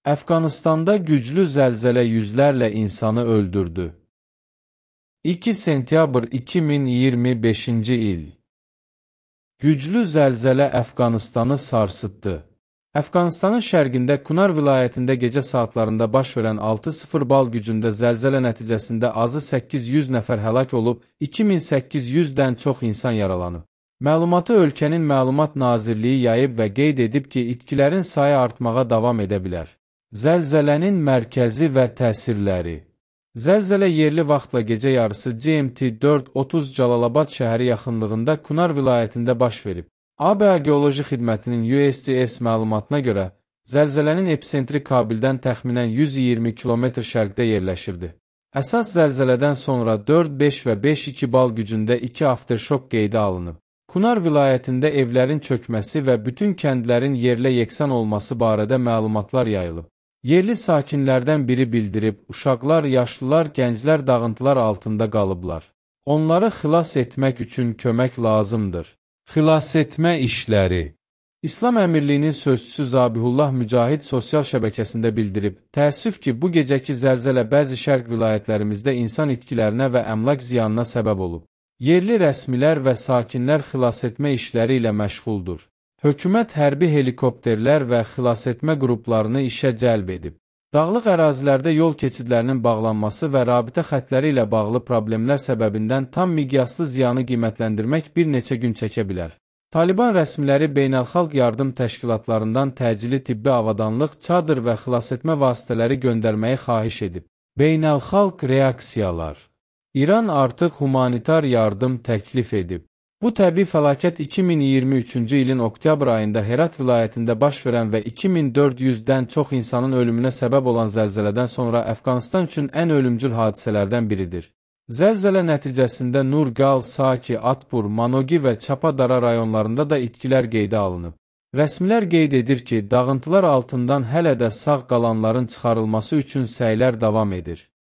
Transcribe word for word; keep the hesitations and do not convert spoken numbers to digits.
Əfqanistanda güclü zəlzələ yüzlərlə insanı öldürdü. iki sentyabr iki min iyirmi beşinci il. Güclü zəlzələ Əfqanistanı sarsıtdı. Əfqanistanın şərqində Kunar vilayətində gecə saatlarında baş verən altı sıfır bal gücündə zəlzələ nəticəsində azı səkkiz yüz nəfər həlak olub, iki min səkkiz yüzdən çox insan yaralanıb. Məlumatı ölkənin Məlumat Nazirliyi yayıb və qeyd edib ki, itkilərin sayı artmağa davam edə bilər. Zəlzələnin mərkəzi və təsirləri. Zəlzələ yerli vaxtla gecə yarısı G M T dörd otuz Cəlalabad şəhəri yaxınlığında Kunar vilayətində baş verib. A B A Geoloji Xidmətinin U S G S məlumatına görə, zəlzələnin epicentri Kabildən təxminən yüz iyirmi kilometr şərqdə yerləşirdi. Əsas zəlzələdən sonra dörd beş və beş iki bal gücündə iki afterşok qeydə alınıb. Kunar vilayətində evlərin çökməsi və bütün kəndlərin yerlə yeksan olması barədə məlumatlar yayılıb. Yerli sakinlərdən biri bildirib, uşaqlar, yaşlılar, gənclər dağıntılar altında qalıblar. Onları xilas etmək üçün kömək lazımdır. Xilasetmə işləri. İslam Əmirliyinin sözçüsü Zabihullah Mücahid sosial şəbəkəsində bildirib, təəssüf ki, bu gecəki zəlzələ bəzi şərq vilayətlərimizdə insan itkilərinə və əmlak ziyanına səbəb olub. Yerli rəsmilər və sakinlər xilasetmə işləri ilə məşğuldur. Hökumət hərbi helikopterlər və xilasetmə qruplarını işə cəlb edib. Dağlıq ərazilərdə yol keçidlərinin bağlanması və rabitə xətləri ilə bağlı problemlər səbəbindən tam miqyaslı ziyanı qiymətləndirmək bir neçə gün çəkə bilər. Taliban rəsmiləri beynəlxalq yardım təşkilatlarından təcili tibbi avadanlıq, çadır və xilasetmə vasitələri göndərməyi xahiş edib. Beynəlxalq reaksiyalar. İran artıq humanitar yardım təklif edib. Bu təbii fəlakət iki min iyirmi üçüncü ilin oktyabr ayında Herat vilayətində baş verən və iki min dörd yüzdən çox insanın ölümünə səbəb olan zəlzələdən sonra Əfqanistan üçün ən ölümcül hadisələrdən biridir. Zəlzələ nəticəsində Nurgal, Saki, Atbur, Manogi və Çapadara rayonlarında da itkilər qeydə alınıb. Rəsmilər qeyd edir ki, dağıntılar altından hələ də sağ qalanların çıxarılması üçün səylər davam edir.